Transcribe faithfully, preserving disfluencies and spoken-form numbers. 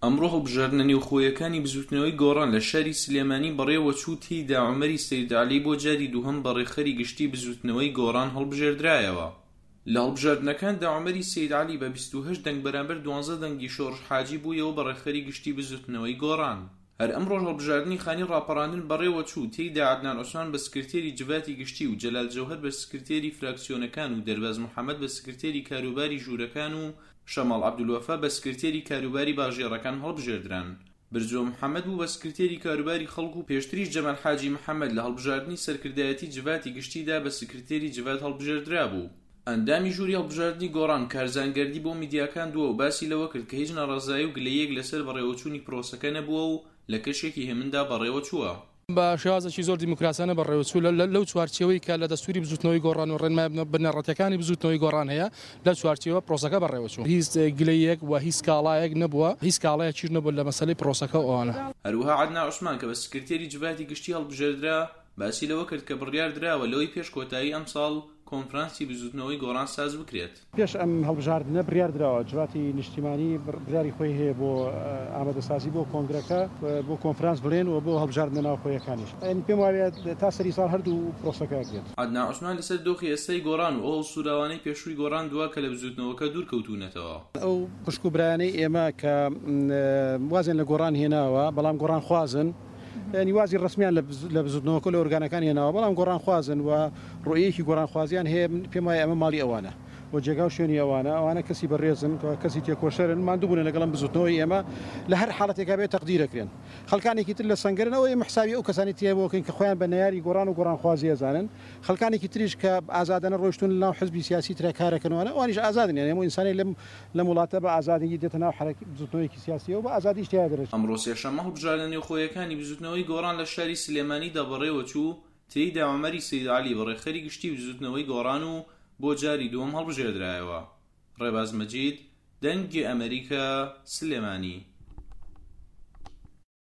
ئەمڕۆ هەڵبژاردنە نێوخۆییەکانی بزووتنەوەی گۆڕان لە شاری سلێمانی بەڕێوەچوو، تێیدا عومەری سەید عەلی بۆ جاری دووهەم بە ڕێکخەری گشتی بزووتنەوەی گۆڕان هەڵبژێردرایەوە. لە هەڵبژاردنەکاندا عومەری سەید عەلی بە بیست و هەشت دەنگ بەرامبەر دوانزە دەنگی شۆڕش حاجی بوویەوە بە ڕێکخەری گشتی بزووتنەوەی گۆڕان. هەر ئەمڕۆش هەڵبژاردنی خانی ڕاپەڕاندن بەڕێوەچوو، تێیدا عەدنان عوسمان بە سکرتێری جڤاتی گشتی و جەلال جەوهەر بە سکرتێری فراکسیۆنەکان و دەرباز محەمەد بە سکرتێری کاروباری ژوورەکان و شەماڵ عەبدولوەفا بە سکرتێری کاروباری باژێڕەکان هەڵبژێردران. برزۆ محەمەد بوو بە سکرتێری کاروباری خەڵک و پێشتریش جەمال حاجی محەمەد لە هەڵبژاردنی سەرکردایەتی جڤاتی گشتیدا بە سکرتێری جڤات هەڵبژێردرابوو. ئەندامی ژووری هەڵبژاردنی گۆڕان کارزان گەردی بۆ میدیاکان دووە و باسی لەوە کرد کە هیچ ناڕەزایی و گلەییەک لەسەر بەڕێوەچوونی پرۆسەکە نەبووە و لە کەشێکی هێمندا بەڕێوەچووە. بە شێوازێکی زۆر دیموکراسیانە بەڕێوەچوو لەو چوارچێوەی کە لە دەستوری بزووتنەوەی گۆڕان و ڕێنمایە بنەڕەتیەکانی بزووتنەوەی گۆڕان هەیە، لە چوارچێوە پرۆسەکە بەڕێوەچوو. هیچ گلەیەک و هیچ سکاڵایەک نەبووە، هیچ سکاڵایەکیش نەبووە لە مەسەلەی پرۆسەکە و ئەوانە. هەروەها عەدنان عوسمان کە بە سکرتێری جڤاتی گشتی هەڵبژێردرا باسی لەوە کرد کە بڕیار دراوە لەوەی پێش کۆتایی ئەمساڵ کۆنفرانسی بزووتنەوەی گۆڕان ساز بکرێت. پێش ئەم هەڵبژاردنە بڕیار دراوە جڤاتی نیشتیمانی بڕیاری خۆی هەیە بۆ ئامادەسازی بۆ کۆنگرەکە، بۆ کۆنفرانس بڵێن و بۆ هەڵبژاردنە ناوخۆیەکانیش. یعنی پێم وایە تا سەری ساڵ هەردوو پرۆسەکە ئەکرێت. عەدنان عوسمان لەسەر دۆخی ئێستای گۆڕان و ئەو هەڵسوراوانەی پێشووی گۆڕان دوا کە لە بزووتنەوەکە دوور کەوتوونەتەوە. ئەو خوشک و برایانەی ئێمە کە وازیان لە گۆڕان هێناوە بەڵام گۆڕان خوازن، یعنی وازی ڕسمیان لە بزوتنەوەکە لە ئۆرگانەکان هێناوە بەڵام گۆڕانخوازن و ڕوئیەکی گۆڕانخوازیان هەیە، پێم وایە ئەمە ماڵی ئەوانە و جێگا و شوێنی ئەوانە، ئەوانە کەسی بەڕێزن، کەسی تێکۆشەرن، ماندوو بوونە لەگەڵم بزوتنەوەی ئێمە لە هەر حاڵەتێکا بێت تەقدیرەکرێن. خەڵکانێکی تر لە سەنگەرن، ئەوە ئێمە حسابی ئەو کەسانی تیا بۆکەین کە خۆیان بە نەیاری گۆڕان و گۆڕانخوازی ئەزانن. خەڵکانێکی تریش کە ئازادانە ڕۆیشتون لەناو حزبی سیاسی ترە کارەکەنەوە، ئەوانیش ئازادن. یعنی هەموو ئینسانێک لەم لەم وڵاتە بە ئازادی دێتە ناو حەرەکەی بزوتنەوەیەکی سیاسیەوە بە ئازادیش تیا دەرەچێت. ئەمڕۆ سێشەممە هەڵبژاردنە نێوخۆیەکانی بزوتنەوەی گۆڕان لە شاری سلێمانیدا بەڕێوەچوو، تێیدا عومەری سەید عەلی بە ڕێکخەری گشتی بزوتنەوەی گۆڕان و بۆ جاری دووەم هەڵبژێردرایەوە. ڕێباز مەجید، دەنگی ئەمریکا، سلێمانی.